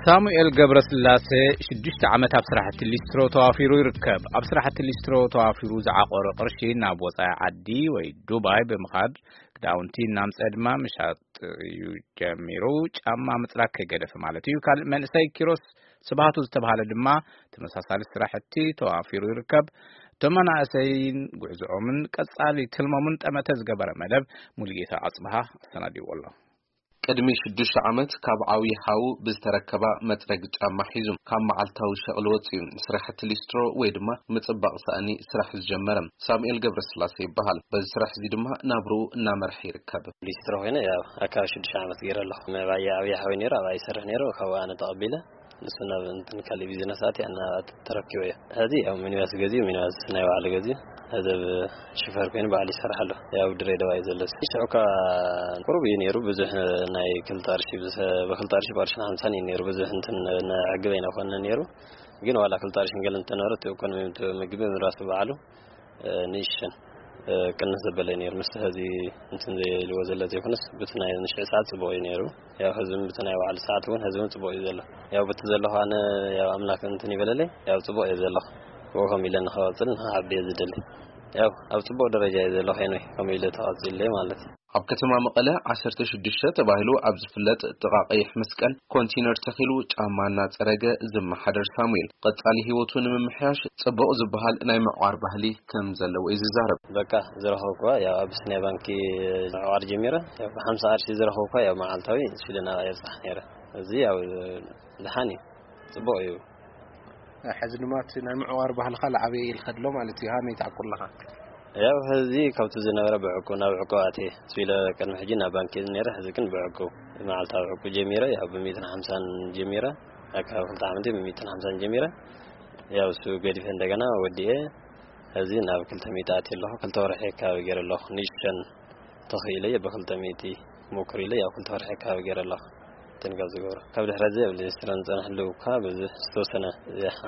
ሳሙኤል ገብረስላሴ ሽዱሽተ ዓመት ኣብ ስራሕቲ ሊስትሮ ተዋፊሩ ይርከብ። ኣብ ስራሕቲ ሊስትሮ ተዋፊሩ ዝዓቆረ ቅርሺ ናብ ወጻኢ ዓዲ ወይ ዱባይ ብምኻድ ክዳውንቲ እናምጸ ድማ ምሻጥ እዩ ጀሚሩ። ጫማ ምጽራግ ከይገደፈ ማለት እዩ። ካልእ መንእሰይ ኪሮስ ስብሃቱ ዝተባህለ ድማ ተመሳሳሊ ስራሕቲ ተዋፊሩ ይርከብ። እቶም መናእሰይን ጉዕዝኦምን ቀጻሊ ትልሞምን ጠመተ ዝገበረ መደብ ሙሉጌታ ኣጽብሃ ኣሰናዲዎ ኣሎ። ቅድሚ ሽዱሽተ ዓመት ካብ ዓብዪ ሓዉ ብዝተረከባ መጽረጊ ጫማ ሒዙ ካብ መዓልታዊ ሸቕሊ ወጺኡ ስራሕቲ ሊስትሮ ወይ ድማ ምጽባቕ ሳእኒ ስራሕ ዝጀመረ ሳሙኤል ገብረስላሴ ይበሃል። በዚ ስራሕ እዚ ድማ ናብርኡ እናመርሐ ይርከብ። ሊስትሮ ኮይነ ያው ኣካባቢ ሽዱሽተ ዓመት ገይረ ኣለኹ። ምዕባይ ዓብዪ ሓወይ ነይሩ፣ ኣብኣ ይሰርሕ ነይሩ፣ ካብኡ ኣነ ተቐቢለ ንሱ ናብ እንትን ካልእ ቢዝነስ ኣትየ፣ ናብ ተረኪበዮ። ሕዚ ያው ሚኒባስ ገዚኡ፣ ሚኒባስ ናይ ባዕሉ ገዚኡ፣ ሕዚ ኣብ ሽፈር ኮይኑ ባዕሉ ይሰርሕ ኣሎ። ያው ድሬዳዋ እዩ ዘሎ። ሽዑ እኳ ቁሩብ እዩ ነይሩ፣ ብዙሕ ናይ ክልተ ቅርሺ፣ ብሰ-፣ ብክልተ ቅርሺ፣ ብቅርሽን ሓምሳን እዩ ነይሩ። ብዙሕ እንትን ነዕግብ ኣይነኾነ ነይሩ። ግን ዋላ ክልተ ቅርሽን ገለ እንተነበረት፣ ኢኮኖሚ ምግቢ ምራሱ ባዕሉ እ፣ ንእሽተን፣ እ፣ ቅንስ ዘበለ ነይሩ። ምስ ሕዚ እንትን ዘይልዎ ዘሎ ዘይኮነስ፣ ብቲ ናይ ንሽዒ ሰዓት ጽቡቕ እዩ ነይሩ። ያው ሕዚ እውን ብቲ ናይ ባዕሉ ሰዓት እውን ሕዚ እውን ጽቡቕ እዩ ዘሎ። ያው ብቲ ዘለኹ ኣነ ያው ኣምላክ እንትን ይበለለይ፣ ያው ጽቡቕ እየ ዘለኹ። ብኡ ከም ኢለ ንኸቐጽል ንኸዓቢ እየ ዝደሊ። ያው ኣብ ጽቡቕ ደረጃ እየ ዘለኹ፣ ኤንወይ፣ ከም ኢለ ተቐጺለይ ማለት እዩ። ኣብ ከተማ መቐለ ዓሰርተ ሽዱሽተ ተባሂሉ ኣብ ዝፍለጥ ጥቓ ቀይሕ መስቀል ኮንቲነር ተኺሉ ጫማ እናጸረገ ዝመሓደር ሳሙኤል፣ ቀጻሊ ህይወቱ ንምምሕያሽ ጽቡቕ ዝበሃል ናይ ምዕቋር ባህሊ ከም ዘለዎ እዩ ዝዛረብ። በቃ ዝረኸብኩዋ ያው ኣቢሲንያ ባንኪ ምዕቋር ጀሚረ። ያው ብሓምሳ ቅርሺ ዝረኸብኩዋ ያው መዓልታዊ ስለ ናብኣ የብጽሕ ነይረ። እዚ ያው ደሓን እዩ፣ ጽቡቕ እዩ። ሕዚ ድማ እቲ ናይ ምዕቋር ባህልኻ ላዓበየ ኢልካ ኣሎ ማለት እዩ። ሃመይ ትዓቁር ኣለኻ? ያው ሕዚ ካብቲ ዝነበረ ብዕቁብ ናብ ዕቁብ ኣትየ። ስለ ቅድሚ ሕጂ ናብ ባንኪ ነይረ፣ ሕዚ ግን ብዕቁብ፣ መዓልታዊ ዕቁብ ጀሚረ። ያው ብሚእትን ሓምሳን ጀሚረ፣ ኣካባቢ ክልተ ዓመት ብሚእትን ሓምሳን ጀሚረ። ያው እሱ ገዲፈ እንደገና ወዲኤ፣ ሕዚ ናብ ክልተ ሚእቲ ኣትየ ኣለኹ። ክልተ ወርሒ ኣካባቢ ገይረ ኣለኹ። ንእሽተን ተኽኢለ እየ ብክልተ ሚእቲ ሞክር ኢለ፣ ያው ክልተ ወርሒ ኣካባቢ ገይረ ኣለኹ። እንትን ካብ ዝገብሮ። ካብ ድሕሪ እዚ ኣብ ሊስትሮ ዝጸናሕሉ እኳ ብዙሕ ዝተወሰነ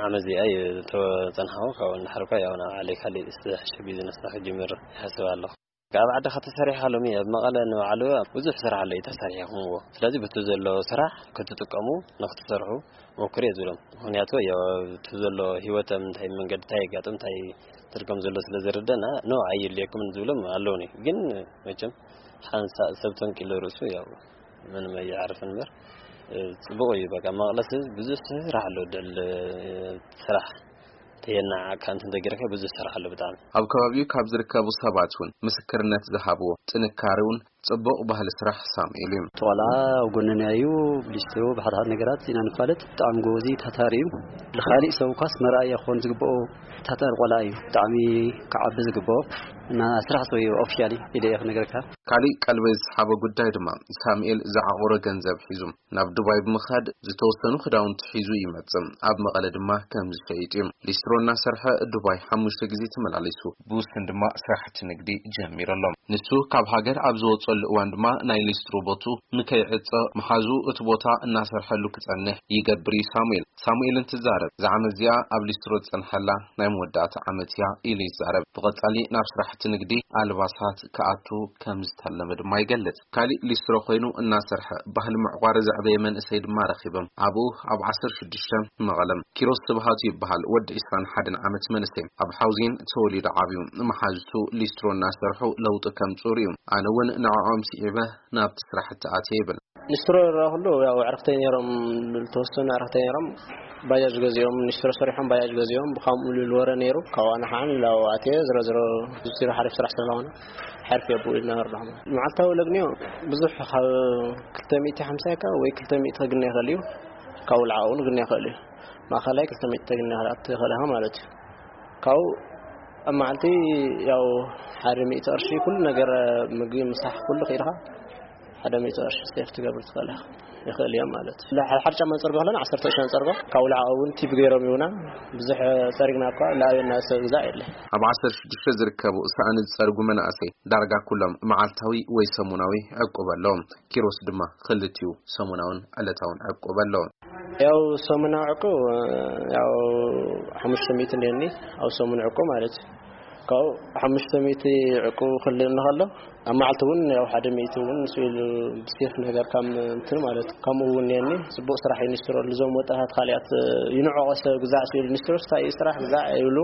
ዓመት እዚኣ እየ ዝተጸናሕኩ። ካብኡ እንድሕር እኳ ያው ናብ ዓለይ ካሊእ ዝተሓሸ ቢዝነስ ክጅምር ይሓስብ ኣለኹ። ኣብ ዓዲ ከተሰሪሓ ሎሚ ኣብ መቐለ ንባዕሉ ብዙሕ ስራሕ ኣሎ እዩ ተሰሪሕኩምዎ። ስለዚ በቲ ዘሎ ስራሕ ክትጥቀሙ ንክትሰርሑ ሞክሩ እየ ዝብሎም። ምኽንያቱ ያው እቲ ዘሎ ህይወት ኣብ ምንታይ መንገዲ እንታይ የጋጥም እንታይ ትርጉም ዘሎ ስለ ዝርደና፣ ኖ ኣየድልየኩምን ዝብሎም ኣለውኒ። ግን መቸም ሓንሳእ ሰብ ተንቂሉ ርእሱ ያው ምንም ኣይዓርፍን እምበር፣ እ፣ ጽቡቕ እዩ። በቃ መቐለስ ብዙሕ ስራሕ ኣሎ፣ ድዕል፣ እ፣ ስራሕ ተየናዓካ እንትን ተገይርካ ብዙሕ ስራሕ ኣሎ ብጣዕሚ። ኣብ ከባቢኡ ካብ ዝርከቡ ሰባት እውን ምስክርነት ዝሃብዎ ጥንካሬ እውን ጽቡቕ ባህሊ ስራሕ ሳሙኤል እዩ። እቲ ቆልዓ ኣብ ጎንና እዩ፣ ብሊስትሮ ብሓድሓድ ነገራት ኢና ንፋለጥ። ብጣዕሚ ጎበዝ እዩ፣ ታታሪ እዩ። ንኻሊእ ሰብ እኳስ መርኣያ ክኾን ዝግብኦ ታታሪ ቆልዓ እዩ። ብጣዕሚ ክዓቢ ዝግብኦ እና ስራሕ ሰብ እዩ ኦፊሻሊ ኢለ እየ ክነግረካ። ካሊእ ቀልበይ ዝሰሓቦ ጉዳይ ድማ ሳሙኤል ዝዓቑሮ ገንዘብ ሒዙ ናብ ዱባይ ብምኻድ ዝተወሰኑ ክዳውንቲ ሒዙ ይመጽእ። ኣብ መቐለ ድማ ከም ዝሸይጥ እዩ። ሊስትሮ እናሰርሐ ዱባይ ሓሙሽተ ግዜ ተመላሊሱ። ብውሱን ድማ ስራሕቲ ንግዲ ጀሚሩ ኣሎ። ንሱ ካብ ሃገር ኣብ ዝወጸሉ እዋን ድማ ናይ ሊስትሮ ቦቱ ንከይዕጸ መሓዙ እቲ ቦታ እናሰርሐሉ ክጸንሕ ይገብር እዩ ሳሙኤል። ሳሙኤል እንትዛረብ፣ እዛ ዓመት እዚኣ ኣብ ሊስትሮ ዝጸንሐላ ናይ መወዳእታ ዓመት እያ ኢሉ ይዛረብ። ብቐጻሊ ናብ ስራሕቲ ንግዲ ኣልባሳት ክኣቱ ከም ዝተለመ ድማ ይገልጽ። ካሊእ ሊስትሮ ኮይኑ እናሰርሐ ባህሊ ምዕቋር ዘዕበየ መንእሰይ ድማ ረኺቦም። ኣብኡ ኣብ ዓሰርተ ሽዱሽተ መቐለ ኪሮስ ስብሃቱ ይበሃል። ወዲ ዕስራን ሓደን ዓመት መንእሰይ። ኣብ ሓውዜን ተወሊዱ ዓብዩ። መሓዙቱ ሊስትሮ እናሰርሑ ለውጢ ከምጽኡ ርእዩ። ኣነ እውን ንዕኦም ስዒበ ናብቲ ስራሕቲ ኣትየ ይብል። ሊስትሮ ዝረኣኹሉ ያው ኣዕርኽተይ ነይሮም፣ ዝተወሰኑ ኣዕርኽተይ ነይሮም። ባጃጅ ገዚኦም፣ ሊስትሮ ሰሪሖም ባጃጅ ገዚኦም፣ ብኻምኡ ልብል ወረ ነይሩ። ካብኡ ኣነ ከዓ ንላው ኣትየ ዝሮ ዝሮ ሊስትሮ ሓሪፍ ስራሕ ስለዝኾነ ሓሪፍ እየ ብኡ ኢልና ንርዳኹም። መዓልታዊ ለግንዮ ብዙሕ ካብ ክልተ ሚእቲ ሓምሳ ወይ ክልተ ሚእቲ ክግነ ይኽእል እዩ። ካብኡ ልዓቕ እውን ክግነ ይኽእል እዩ። ማእኸላይ ክልተ ሚእቲ ክግነ ይኽእል፣ ኣት ይኽእል ኢኻ ማለት እዩ። ካብኡ ኣብ መዓልቲ ያው ሓደ ሚእቲ ቅርሺ ኩሉ ነገር፣ ምግቢ ምሳሕ ኩሉ ክኢልካ ሓደ ሚእቲ ቅርሺ ሴፍ ትገብር ትኽእል ኢኻ። ይኽእል እዮም ማለት እዩ። ሓደ ሓደ ጫማ ንጸርጎ ከለና ዓሰርተ ቅርሺ ንጸርጎ። ካብ ውልዓ እውን ቲፕ ገይሮም ይሁና። ብዙሕ ጸሪግና እኳ ለኣበና ሰብ ግዛእ የለ። ኣብ ዓሰርተ ሽዱሽተ ዝርከቡ ሳእኒ ዝጸርጉ መናእሰይ ዳርጋ ኩሎም መዓልታዊ ወይ ሰሙናዊ ዕቁብ ኣለዎም። ኪሮስ ድማ ክልቲኡ ሰሙናውን ዕለታውን ዕቁብ ኣለዎ። ያው ሰሙናዊ ዕቁብ፣ ያው ሓሙሽተ ሚእቲ እንዲኒ ኣብ ሰሙን ዕቁብ ማለት እዩ። ካብኡ ሓሙሽተ ሚእቲ ዕቁብ ክልእኒ ከሎ፣ ኣብ መዓልቲ እውን ያው ሓደ ሚእቲ እውን ስኢሉ ብሴፍ ነገር ከም እንትን ማለት ከምኡ እውን እኒአኒ። ጽቡቕ ስራሕ እዩ ኒስትሮ። እዞም ወጣታት ካልኣት ይንዕቆ ሰብ ግዛዕ ስኢሉ ኒስትሮስ እንታይ እዩ ስራሕ ግዛዕ ይብሉ።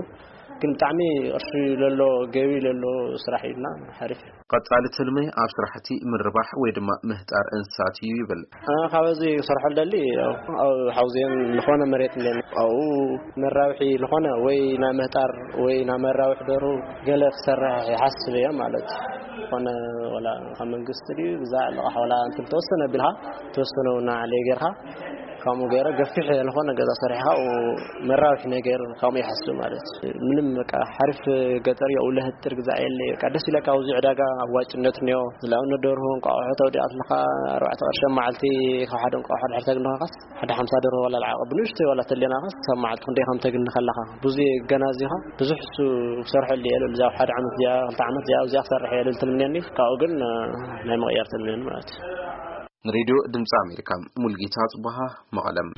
ግን ብጣዕሚ ቅርሺ ለሎ ገቢ ለሎ ስራሕ እዩና ሓሪፍ እዩ። ቀጻሊ ትልሚ ኣብ ስራሕቲ ምርባሕ ወይ ድማ ምህጣር እንስሳት እዩ ይብል። ኣነ ካብ እዚ ክሰርሖ ልደሊ ያው ኣብ ሓውዜን ዝኾነ መሬት እኒአኒ ኣብኡ መራብሒ ዝኾነ ወይ ናይ ምህጣር ወይ ናይ መራብሒ ደሩ ገለ ክሰርሕ ይሓስብ እየ ማለት እዩ። ዝኾነ ወላ ካብ መንግስቲ ድዩ ብዛዕ ልቓሕ ወላ እንትን ተወሰነ ቢልካ ተወሰነ እውን ንዓለይ ጌርካ ከምኡ ገይረ ገፊሕ ዝኾነ ገዛ ሰሪሕካ ኣብኡ መራብሒ ነገር ከምኡ ይሓስብ ማለት እዩ። ምንም በቃ ሓሪፍ ገጠር እዩ። ኣብኡ ለህጥር ግዛዕ የለ በቃ ደስ ኢለካ ኣብዚ ዕዳጋ ኣዋጭነት እኒኦ ዝላብነት ደርሁ እንቋቑሖ ተውዲኣ ኣለኻ ኣርባዕተ ቅርሺ ኣብ መዓልቲ ካብ ሓደ እንቋቑሖ ድሕር ተግንኻስ ሓደ ሓምሳ ደርሆ ዋላ ልዓቐ ብንእሽተይ ዋላ ተሌናኻስ ካብ መዓልቲ ክንደይ ከም ተግኒ ከለኻ ብዙ ገና እዚኻ ብዙሕ እሱ ክሰርሐሉ እየ ልብል እዚኣ ሓደ ዓመት እዚኣ ክልተ ዓመት እዚኣ ኣብዚኣ ክሰርሕ እየ ልብል ትልምንየኒ ካብኡ ግን ናይ ምቕያር ትልምንየኒ ማለት እዩ። ንሬድዮ ድምፂ ኣሜሪካ ሙልጌታ ጽቡሃ መቐለም።